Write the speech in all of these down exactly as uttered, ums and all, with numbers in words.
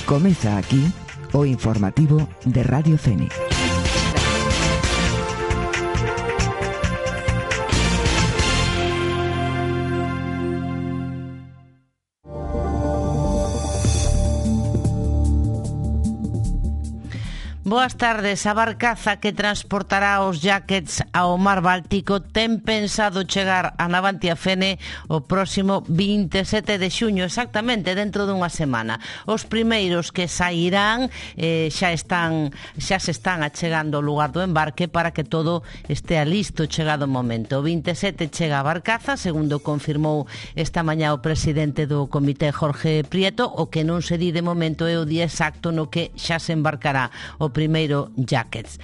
Comeza aquí o informativo de Radio Fénix. Boas tardes. A barcaza que transportará os jackets ao mar Báltico ten pensado chegar a Navantia Fene o próximo vinte e sete de xuño, exactamente dentro dunha semana. Os primeiros que sairán eh, xa están xa se están achegando ao lugar do embarque para que todo estea listo chegado o momento. O vinte e sete chega a barcaza, segundo confirmou esta mañá o presidente do comité Jorge Prieto. O que non se di de momento é o día exacto no que xa se embarcará o primeiro jackets.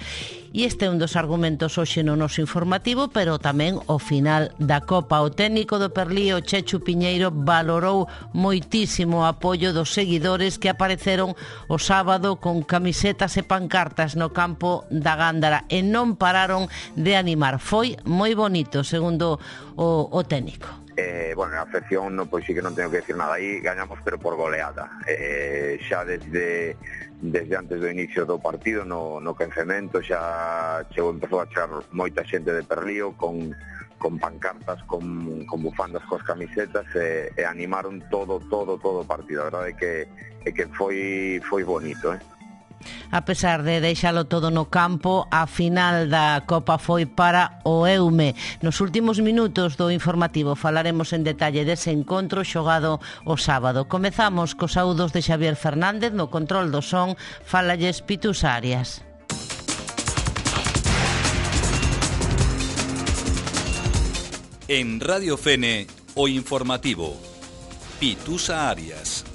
E este é un dos argumentos hoxe no noso informativo, pero tamén o final da Copa. O técnico do Perlío, Chechu Piñeiro, valorou moitísimo o apoio dos seguidores que apareceron o sábado con camisetas e pancartas no campo da Gándara e non pararon de animar. Foi moi bonito, segundo o, o técnico. Eh, bueno, na afección no, pois sí que non tengo que decir nada. Aí gañamos pero por goleada. Eh, xa desde desde antes do inicio do partido no, no quencemento xa chegou, empezou a chegar moita xente de Perlío con, con pancartas, con, con bufandas cos camisetas e, e animaron todo, todo, todo o partido. A verdade é que, é que foi, foi bonito, eh? A pesar de deixalo todo no campo, a final da Copa foi para o Eume. Nos últimos minutos do informativo falaremos en detalle dese encontro xogado o sábado. Comezamos cos saúdos de Xavier Fernández, no control do son, fálalles Pitus Arias. En Radio Fene, o informativo. Pitusa Arias.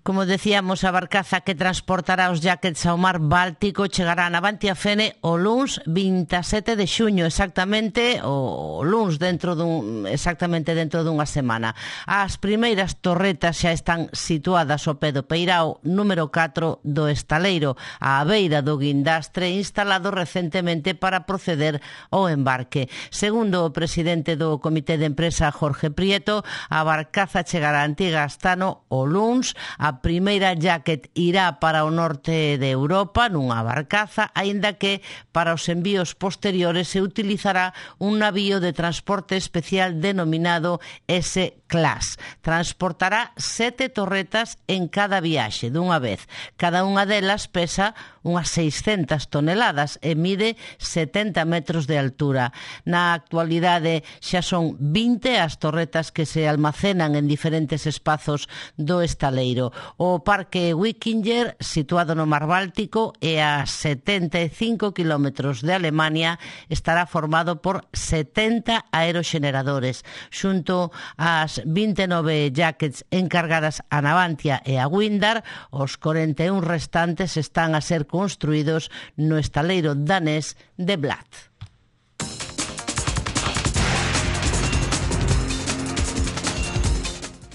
Como decíamos, a barcaza que transportará os jackets ao mar Báltico chegará a Navantia Fene o luns vinte e sete de xuño, exactamente o luns dentro dun exactamente dentro dunha semana. As primeiras torretas xa están situadas ao pé do peirao número catro do estaleiro, á beira do guindastre instalado recentemente para proceder ao embarque. Segundo o presidente do Comité de Empresa, Jorge Prieto, a barcaza chegará a Antiga Astano o luns. A A primeira jacket irá para o norte de Europa nunha barcaza, aínda que para os envíos posteriores se utilizará un navío de transporte especial denominado S-Class. Transportará sete torretas en cada viaxe dunha vez. Cada unha delas pesa unhas seiscentas toneladas e mide setenta metros de altura. Na actualidade xa son vinte as torretas que se almacenan en diferentes espazos do estaleiro. O Parque Wikinger, situado no Mar Báltico e a setenta e cinco kilómetros de Alemania, estará formado por setenta aeroxeneradores. Xunto ás vinte e nove jackets encargadas a Navantia e a Windar, os corenta e un restantes están a ser construídos no estaleiro danés de Bladt.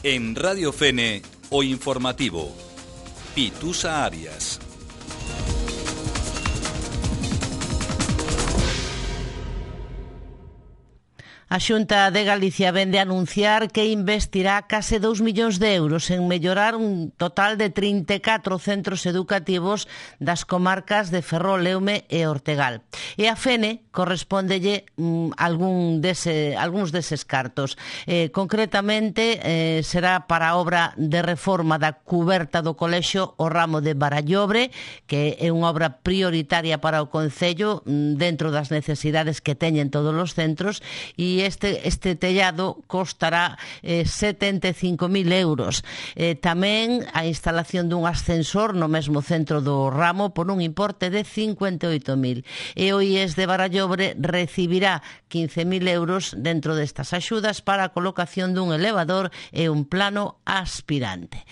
En Radio Fene, o informativo. Pitusa Arias. A Xunta de Galicia vende a anunciar que investirá case dous millóns de euros en mellorar un total de trinta e catro centros educativos das comarcas de Ferrol, Eume e Ortegal. E a Fene correspóndelle mm, algún dese, algúns deses cartos. Eh, concretamente, eh, será para a obra de reforma da cuberta do colexio o ramo de Barallobre, que é unha obra prioritaria para o Concello mm, dentro das necesidades que teñen todos os centros, e este, este tellado costará eh, setenta e cinco mil euros. Eh, tamén a instalación dun ascensor no mesmo centro do ramo por un importe de cincuenta e oito mil. E o I E S de Barallobre recibirá quince mil euros dentro destas axudas para a colocación dun elevador e un plano aspirante.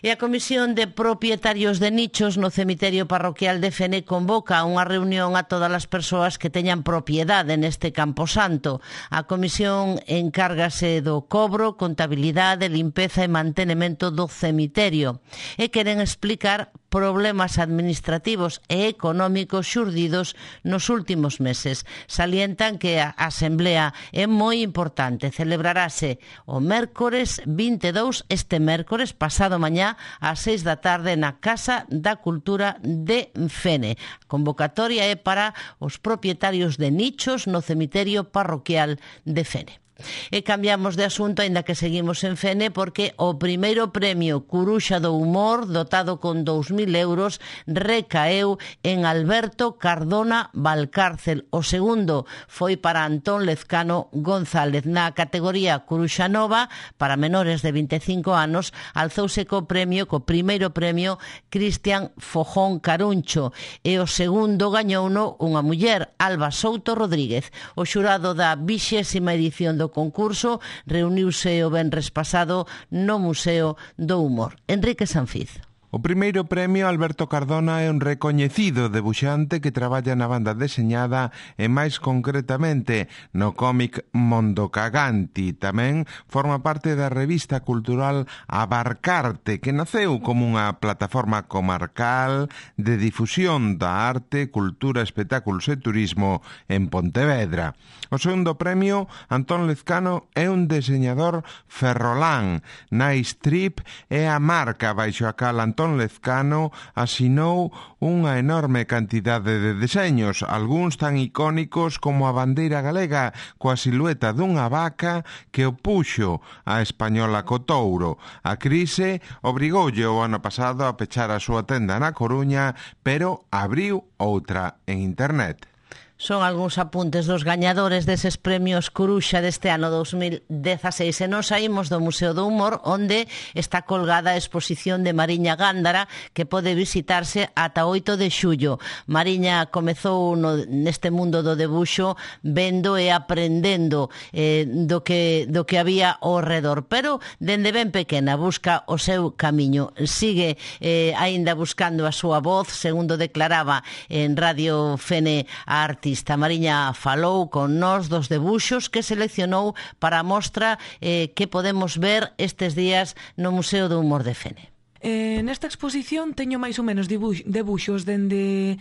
E a Comisión de Propietarios de Nichos no Cemiterio Parroquial de Fene convoca unha reunión a todas as persoas que teñan propiedade neste camposanto. A Comisión encárgase do cobro, contabilidade, limpeza e mantenimento do cemiterio e queren explicar problemas administrativos e económicos xurdidos nos últimos meses. Salientan que a Asamblea é moi importante. Celebrarase o mércores vinte e dous, este mércores, pasado mañá, ás seis da tarde na Casa da Cultura de Fene. A convocatoria é para os propietarios de nichos no cemiterio parroquial de Fene. E cambiamos de asunto, aínda que seguimos en Fene, porque o primeiro premio Curuxa do Humor, dotado con dous mil euros, recaeu en Alberto Cardona Valcárcel. O segundo foi para Antón Lezcano González. Na categoría Curuxa Nova, para menores de vinte e cinco anos, alzouse co premio, co primeiro premio, Cristian Fojón Caruncho. E o segundo gañouno unha muller, Alba Souto Rodríguez. O xurado da vixésima edición do concurso reuniuse o venres pasado no Museo do Humor. Enrique Sanfiz. O primeiro premio Alberto Cardona é un recoñecido debuxante que traballa na banda deseñada e máis concretamente no cómic Mondo Caganti. Tamén forma parte da revista cultural Abarcarte, que naceu como unha plataforma comarcal de difusión da arte, cultura, espectáculos e turismo en Pontevedra. O segundo premio, Antón Lezcano, é un deseñador ferrolán. Nice Trip é a marca baixo a cal Antón Lezcano asinou unha enorme cantidade de deseños, algúns tan icónicos como a bandeira galega coa silueta dunha vaca que o puxo a española co touro. A crise obrigoulle o ano pasado a pechar a súa tenda na Coruña, pero abriu outra en internet. Son algúns apuntes dos gañadores deses premios Curuxa deste ano dos mil dezaseis. E nos saímos do Museo do Humor, onde está colgada a exposición de Mariña Gándara, que pode visitarse ata oito de xullo. Mariña comezou no, neste mundo do debuxo vendo e aprendendo eh, do, que, do que había ao redor, pero dende ben pequena busca o seu camiño. Sigue eh, aínda buscando a súa voz, segundo declaraba en Radio Fene a arte. Mariña falou con nós dos debuxos que seleccionou para a mostra eh, que podemos ver estes días no Museo do Humor de Fene. Eh, nesta exposición teño máis ou menos dibuix, debuxos dende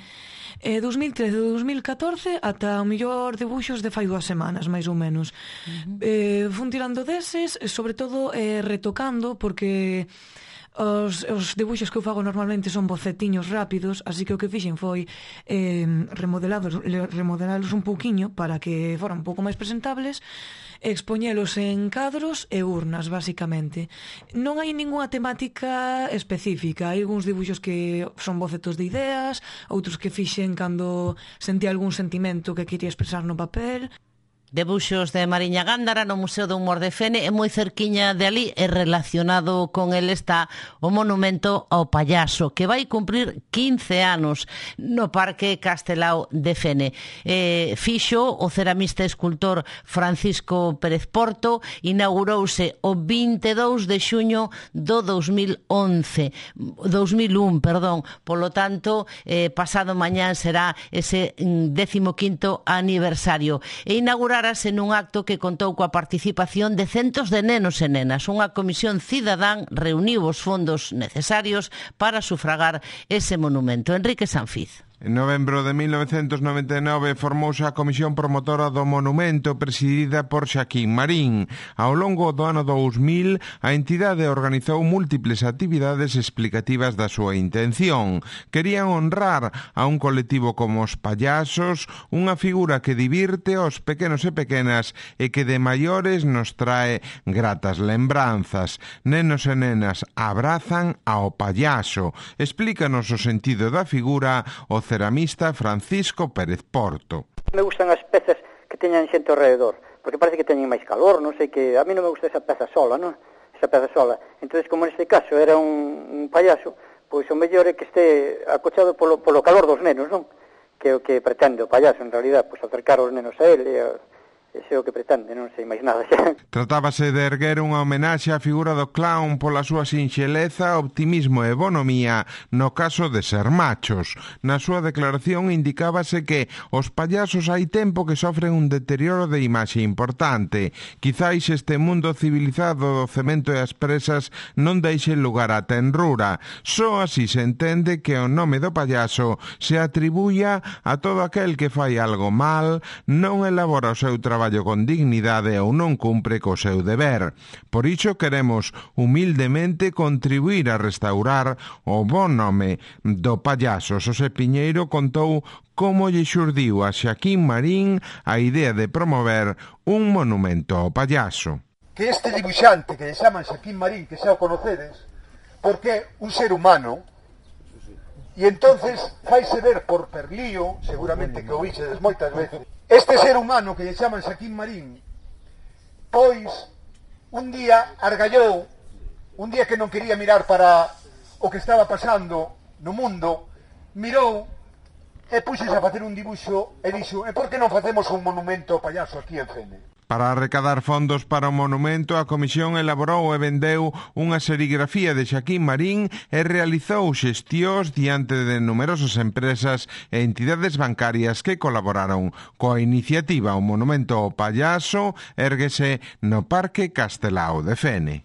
eh, dos mil trece e dos mil catorce ata o mellor debuxos de fai dúas semanas, máis ou menos. Uh-huh. Eh, fun tirando deses, sobre todo eh, retocando, porque Os, os debuxos que eu fago normalmente son bocetiños rápidos, así que o que fixen foi eh, remodelados, remodelalos un pouquiño para que foran un pouco máis presentables, expoñelos en cadros e urnas, basicamente. Non hai ningunha temática específica. Hai algúns dibuxos que son bocetos de ideas, outros que fixen cando sentí algún sentimento que quería expresar no papel. Debuxos de Mariña Gándara no Museo do Humor de Fene, e moi cerquiña de ali e relacionado con el está o monumento ao payaso, que vai cumprir quince anos no Parque Castelao de Fene. Eh, fixo o ceramista e escultor Francisco Pérez Porto, inaugurouse o vinte e dous de xuño do dos mil once, dos mil un, perdón, polo tanto, eh, pasado mañán será ese décimo quinto aniversario. E inaugurar nun acto que contou coa participación de centos de nenos e nenas. Unha comisión cidadán reuniu os fondos necesarios para sufragar ese monumento. Enrique Sanfiz. En novembro de mil novecentos noventa e nove formouse a comisión promotora do monumento presidida por Xaquín Marín. Ao longo do ano dous mil, a entidade organizou múltiples actividades explicativas da súa intención. Querían honrar a un colectivo como os payasos, unha figura que divirte aos pequenos e pequenas e que de maiores nos trae gratas lembranzas. Nenos e nenas abrazan ao payaso. Explícanos o sentido da figura o ceramista Francisco Pérez Porto. Me gustan as pezas que teñan xente ao redor, porque parece que teñen máis calor, non sei que... A mí non me gusta esa peza sola, non? Esa peza sola. Entonces, como neste caso era un, un payaso, pois o mellor é que este acochado polo, polo calor dos nenos, non? Que o que pretende o payaso, en realidad, pois acercar os nenos a ele e, ese é o que pretende, non sei máis nada xa. Tratábase de erguer unha homenaxe á figura do clown pola súa sinxeleza, optimismo e bonomía no caso de ser machos. Na súa declaración indicábase que os payasos hai tempo que sofren un deterioro de imaxe importante. Quizáis este mundo civilizado do cemento e as presas non deixe lugar á tenrura. Só así se entende que o nome do payaso se atribuya a todo aquel que fai algo mal, non elabora o seu traballo con dignidade ou non cumpre co seu deber. Por iso queremos humildemente contribuir a restaurar o bon nome do payaso. Xosé Piñeiro contou como lle xurdiu a Xaquín Marín a idea de promover un monumento ao payaso. Que este dibuixante que lle chaman Xaquín Marín, que xa o conocedes, porque é un ser humano, e entonces faise ver por Perlío, seguramente que o vixedes moitas veces. Este ser humano que lle chaman Xaquín Marín, pois un día argallou, un día que non quería mirar para o que estaba pasando no mundo, mirou e puxese a facer un dibuixo e dixo: e por que non facemos un monumento ao payaso aquí en Fene? Para recadar fondos para o monumento, a comisión elaborou e vendeu unha serigrafía de Xaquín Marín e realizou xestións diante de numerosas empresas e entidades bancarias que colaboraron coa iniciativa. O monumento ao payaso érguese no Parque Castelao de Fene.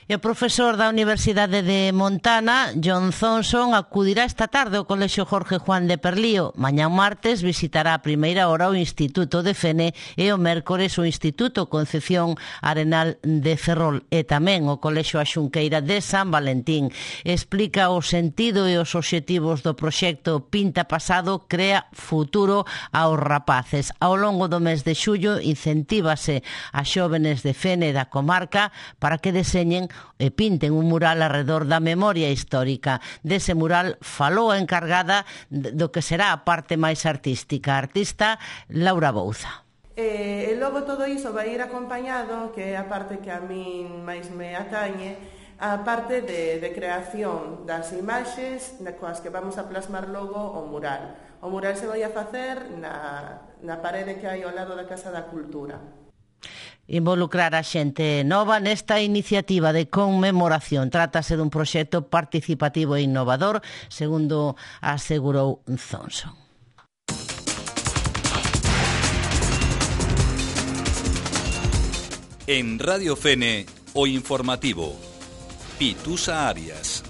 E o profesor da Universidade de Montana, John Thompson, acudirá esta tarde ao Colexio Jorge Juan de Perlío. Mañá martes visitará a primeira hora o Instituto de Fene e o mércores o Instituto Concepción Arenal de Ferrol e tamén o Colexio Axunqueira de San Valentín. Explica o sentido e os obxectivos do proxecto Pinta Pasado crea futuro aos rapaces. Ao longo do mes de xullo incentívase a xóvenes de Fene e da comarca para que deseñen e pinten un mural alrededor da memoria histórica. Dese mural falou a encargada do que será a parte máis artística, a artista Laura Bouza. E, e logo todo iso vai ir acompañado, que é a parte que a min máis me atañe, a parte de, de creación das imaxes coas que vamos a plasmar logo o mural. O mural se vai a facer na, na parede que hai ao lado da Casa da Cultura. Involucrar a xente nova nesta iniciativa de conmemoración. Trátase dun proxecto participativo e innovador, segundo asegurou Thompson. En Radio Fene, o informativo. Pitusa Arias.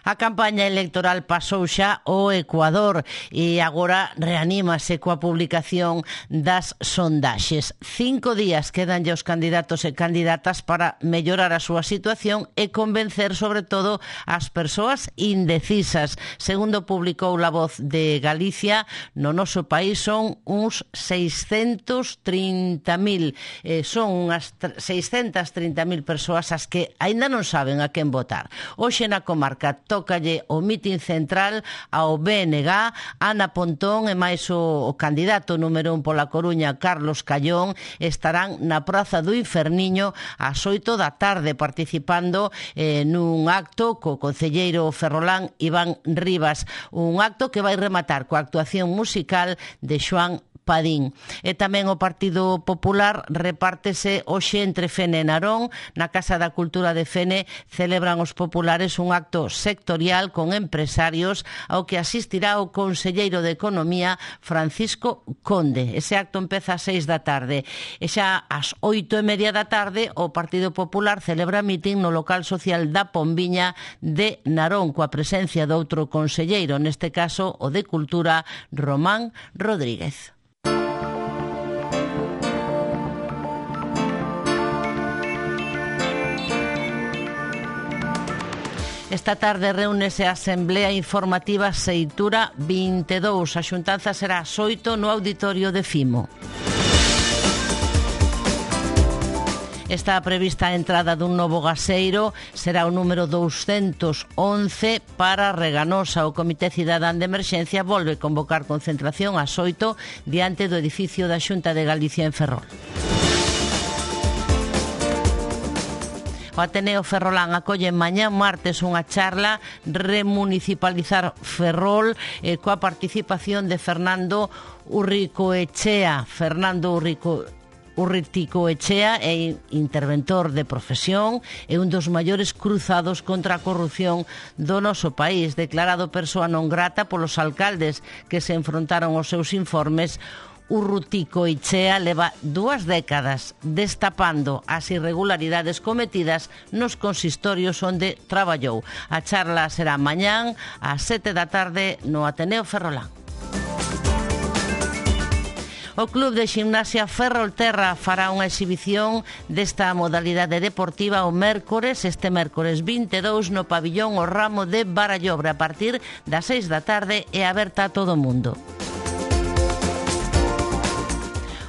A campaña electoral pasou xa ao Ecuador e agora reanímase coa publicación das sondaxes. Cinco días quedanlle aos candidatos e candidatas para mellorar a súa situación e convencer sobre todo as persoas indecisas. Segundo publicou La Voz de Galicia, no noso país son uns seiscentos trinta mil, eh, son unhas seiscentas trinta mil persoas as que aínda non saben a quen votar. Hoxe na comarca tócalle o mitin central ao B N G, Ana Pontón e máis o, o candidato número un pola Coruña, Carlos Callón, estarán na Praza do Inferniño ás oito da tarde participando eh, nun acto co concelleiro ferrolán Iván Rivas, un acto que vai rematar coa actuación musical de Xoán Padín. E tamén o Partido Popular repártese hoxe entre Fene e Narón. Na Casa da Cultura de Fene celebran os populares un acto sectorial con empresarios ao que asistirá o conselleiro de Economía Francisco Conde. Ese acto empeza ás seis da tarde. E xa ás oito e media da tarde o Partido Popular celebra mitin no local social da Pombiña de Narón coa presencia de outro conselleiro, neste caso o de Cultura, Román Rodríguez. Esta tarde reúnese a Asamblea Informativa Seitura vinte e dous. A xuntanza será ás oito no auditorio de Fimo. Está prevista a entrada dun novo gaseiro, será o número douscentos once para Reganosa. O Comité Cidadán de Emerxencia volve convocar concentración ás oito diante do edificio da Xunta de Galicia en Ferrol. O Ateneo Ferrolán acolle mañá martes unha charla Remunicipalizar Ferrol eh, coa participación de Fernando Urricoechea. Fernando Urrico Urriticoechea é interventor de profesión e un dos maiores cruzados contra a corrupción do noso país, declarado persoa non grata polos alcaldes que se enfrontaron aos seus informes. Urruticoechea leva dúas décadas destapando as irregularidades cometidas nos consistorios onde traballou. A charla será mañán ás sete da tarde no Ateneo Ferrolán. O Club de Ximnasia Ferrolterra fará unha exhibición desta modalidade deportiva o mércores, este mércores vinte e dous no pabillón O Ramo de Barallobre a partir das seis da tarde e aberta a todo o mundo.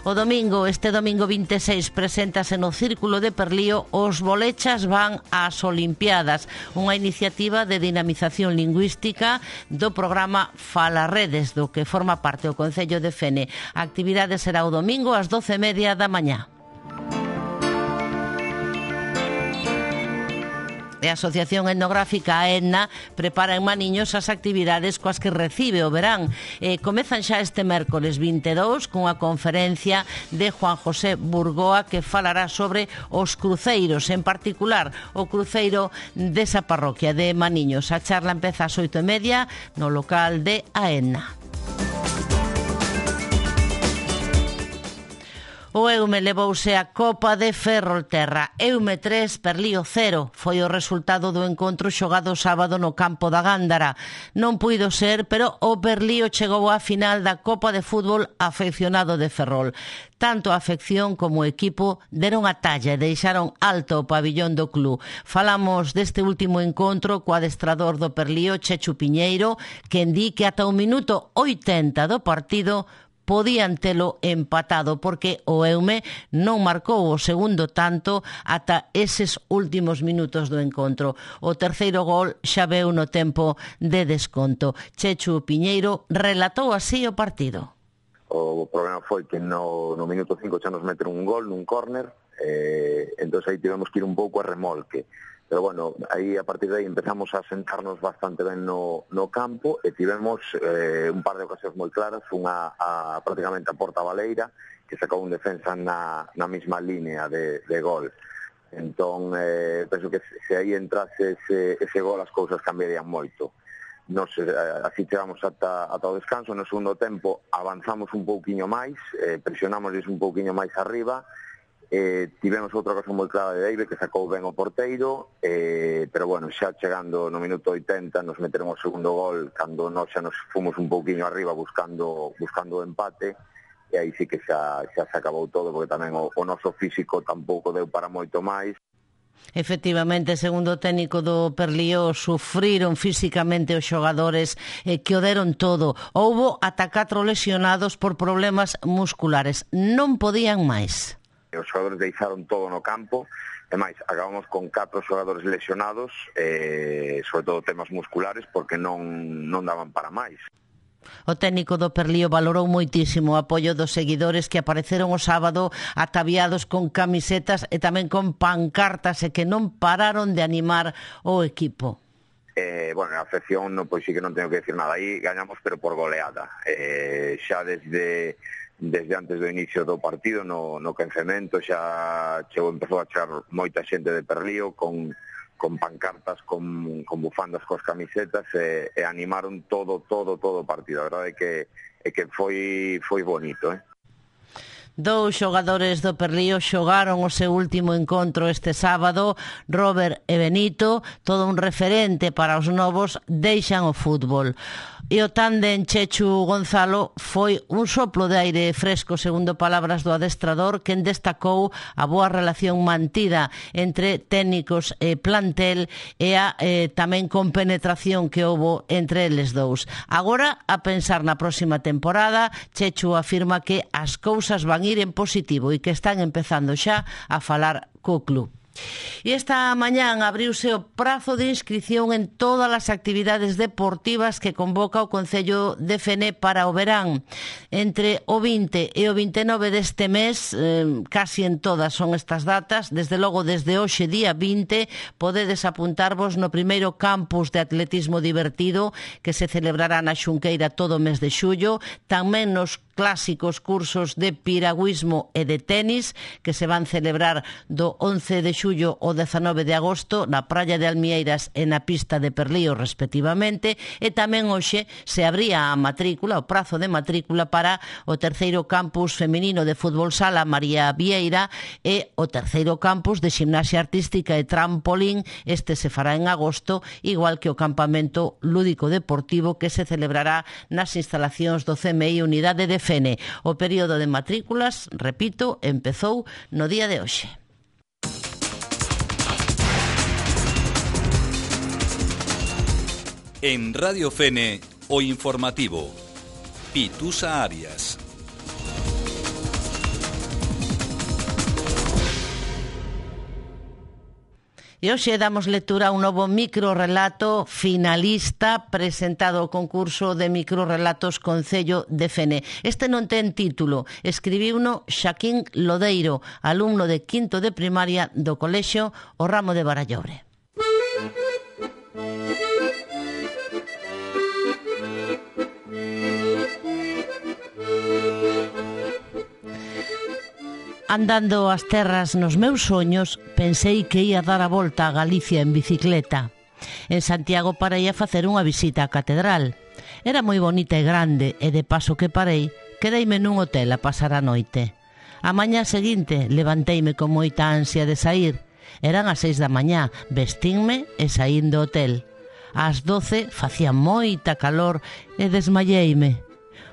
O domingo, este domingo vinte e seis, preséntase no Círculo de Perlío Os Bolechas van ás Olimpiadas, unha iniciativa de dinamización lingüística do programa Falaredes, do que forma parte o Concello de Fene. A actividade será o domingo ás doce e media da mañá. E a Asociación Etnográfica AENNA prepara en Maniños as actividades coas que recibe o verán. Eh, comezan xa este mércores vinte e dous cunha conferencia de Juan José Burgoa que falará sobre os cruceiros, en particular o cruceiro desa parroquia de Maniños. A charla empeza ás oito e media no local de AENNA. O Eume levouse a Copa de Ferrolterra. Eume tres, Perlío cero. Foi o resultado do encontro xogado sábado no campo da Gándara. Non puido ser, pero o Perlío chegou á final da Copa de Fútbol afeccionado de Ferrol. Tanto a afección como o equipo deron a talla e deixaron alto o pabillón do club. Falamos deste último encontro co adestrador do Perlío, Chechu Piñeiro, que di que ata o minuto oitenta do partido podían telo empatado porque o Eume non marcou o segundo tanto ata eses últimos minutos do encontro. O terceiro gol xa veu no tempo de desconto. Chechu Piñeiro relatou así o partido. O problema foi que no, no minuto cinco xa nos meteron un gol nun córner, eh, entón aí tivemos que ir un pouco a remolque. Pero bueno, aí a partir de aí empezamos a sentarnos bastante ben no, no campo e tivemos eh, un par de ocasións moi claras, unha a, prácticamente a porta baleira, que sacou un defensa na, na mesma línea de, de gol. Entón, eh, penso que se aí entrase ese, ese gol as cousas cambiarían moito. Nos, eh, así chegamos ata, ata o descanso, no segundo tempo avanzamos un pouquiño máis, eh, presionamos un pouquiño máis arriba. Eh, tivemos outra cosa moi clara de Deive que sacou ben o porteiro, eh, pero bueno, xa chegando no minuto oitenta nos meteron o segundo gol cando nós xa nos fomos un pouquiño arriba buscando buscando o empate e aí sí que xa, xa se acabou todo porque tamén o, o noso físico tampouco deu para moito máis. Efectivamente, segundo o técnico do Perlío, sufriron físicamente os xogadores eh, que o deron todo. Houbo ata catro lesionados por problemas musculares. Non podían máis. Os xogadores deixaron todo no campo, e máis, acabamos con catro xogadores lesionados, eh, sobre todo temas musculares, porque non, non daban para máis. O técnico do Perlío valorou moitísimo o apoio dos seguidores que apareceron o sábado ataviados con camisetas e tamén con pancartas e que non pararon de animar o equipo. Eh, bueno, a afección, no, pois sí que non tengo que decir nada, aí gañamos pero por goleada. Eh, xa desde... desde antes do inicio do partido no, no quencemento xa chegou, empezou a chegar moita xente de Perlío con, con pancartas, con, con bufandas cos camisetas e, e animaron todo, todo, todo o partido. A verdade é que, é que foi, foi bonito, eh? Dous xogadores do Perlío xogaron o seu último encontro este sábado. Robert e Benito, todo un referente para os novos, deixan o fútbol. E o tándem Chechu Gonzalo foi un soplo de aire fresco, segundo palabras do adestrador, quen destacou a boa relación mantida entre técnicos e plantel e a eh, tamén compenetración que houbo entre eles dous. Agora, a pensar na próxima temporada, Chechu afirma que as cousas van ir en positivo e que están empezando xa a falar co club. E esta mañán abriuse o prazo de inscripción en todas as actividades deportivas que convoca o Concello de Fene para o verán. Entre o vinte e o vinte e nove deste mes, eh, casi en todas son estas datas, desde logo desde hoxe día vinte, podedes apuntarvos no primeiro campus de atletismo divertido que se celebrará na Xunqueira todo o mes de xullo, tamén nos clásicos cursos de piragüismo e de tenis que se van celebrar do once de xullo ao dezanove de agosto na praia de Almieiras e na pista de Perlío respectivamente, e tamén hoxe se abría a matrícula, o prazo de matrícula para o terceiro campus feminino de fútbol sala María Vieira e o terceiro campus de ximnasia artística e trampolín. Este se fará en agosto, igual que o campamento lúdico deportivo que se celebrará nas instalacións do C M I Unidade de Fene. O período de matrículas, repito, empezou no día de hoxe. En Radio Fene, o informativo. Pitusa Arias. E hoxe damos lectura a un novo microrrelato finalista presentado ao concurso de microrrelatos Concello de Fene. Este non ten título, escribiuno Xaquín Lodeiro, alumno de quinto de primaria do colexio O Ramo de Barallobre. Andando as terras nos meus soños, pensei que ia dar a volta a Galicia en bicicleta. En Santiago parei a facer unha visita á catedral. Era moi bonita e grande, e de paso que parei, quedeime nun hotel a pasar a noite. A mañá seguinte levanteime con moita ansia de sair. Eran as seis da mañá, vestínme e saín do hotel. Ás doce facía moita calor e desmayeime.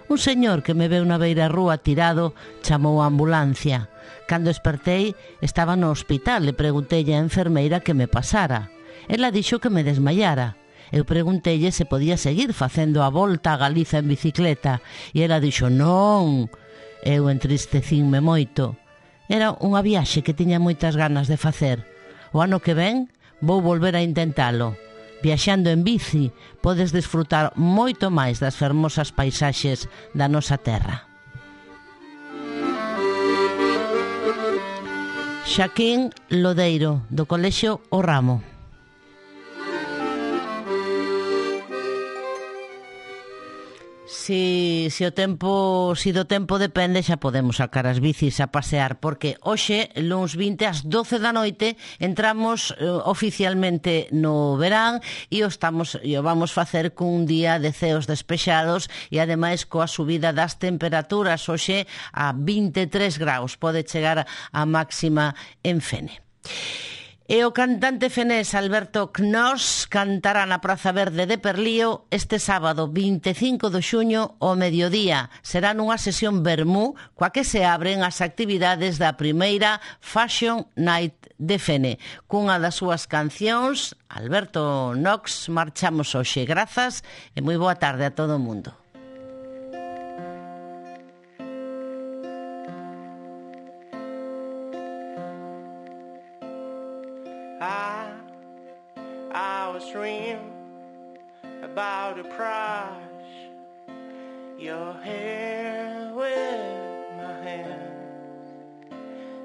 Un señor que me veu na beira rúa tirado chamou a ambulancia. Cando espertei, estaba no hospital e preguntei á enfermeira que me pasara. Ela dixo que me desmayara. Eu pregunteille se podía seguir facendo a volta a Galiza en bicicleta e ela dixo non. Eu entristecinme moito. Era unha viaxe que tiña moitas ganas de facer. O ano que ven vou volver a intentalo. Viaxando en bici podes desfrutar moito máis das fermosas paisaxes da nosa terra. Xaquín Lodeiro, do colexio O Ramo. Si, si o tempo, si do tempo depende, xa podemos sacar as bicis a pasear, porque hoxe, luns vinte, ás doce da noite, entramos eh, oficialmente no verán e o, estamos, e o vamos facer cun día de ceos despexados e ademais coa subida das temperaturas hoxe a vinte e tres graus, pode chegar a máxima en Fene. E o cantante fenés Alberto Knoss cantará na Praza Verde de Perlío este sábado vinte e cinco de xuño ao mediodía. Será nunha sesión vermú coa que se abren as actividades da primeira Fashion Night de Fene. Cunha das súas cancións, Alberto Knox, marchamos hoxe. Grazas e moi boa tarde a todo o mundo. I, I was dreaming about a prize, your hair with my hands,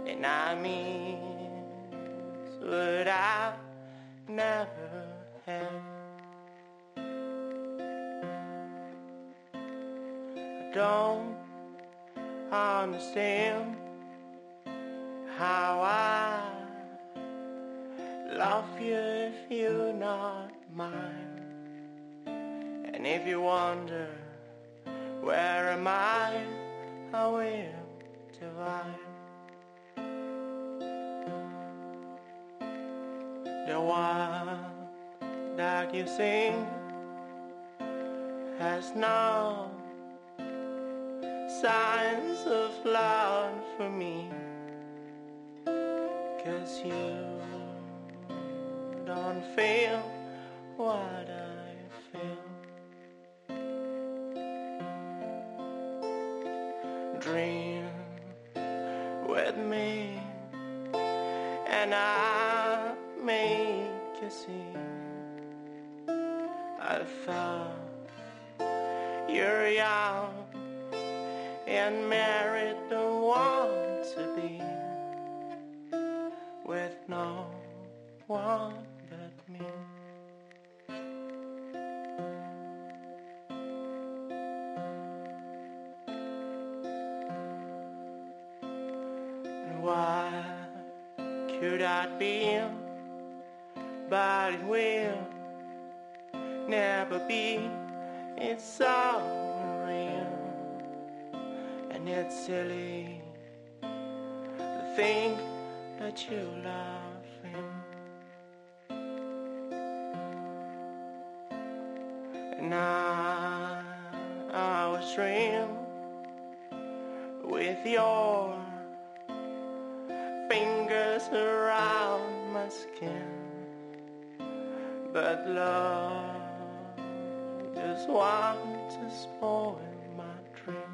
and I mean what I've never had. I don't understand how I love you if you're not mine. And if you wonder where am I, I will divine. The one that you sing has no signs of love for me, 'cause you don't feel what I feel. Dream with me and I I thought you're young and married, don't want to be with no one but me. And why could I be? But it will never be. It's all real, and it's silly to think that you love him. And I, I was real with your fingers around my skin, but love just wants to spoil my dream.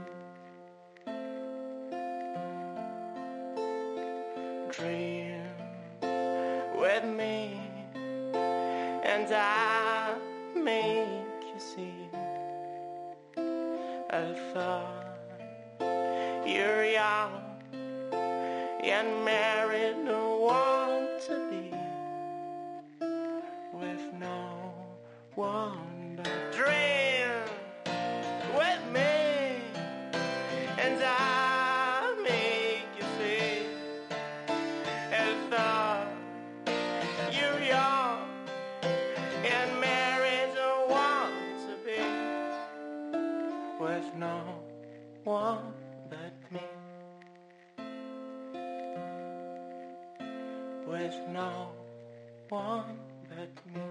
Dream with me, and I'll make you see. I thought you're young and married, don't want to be with no one but dream with me, and I'll make you see. And thought you're young and married, don't want to be with no one but me. With no one but me.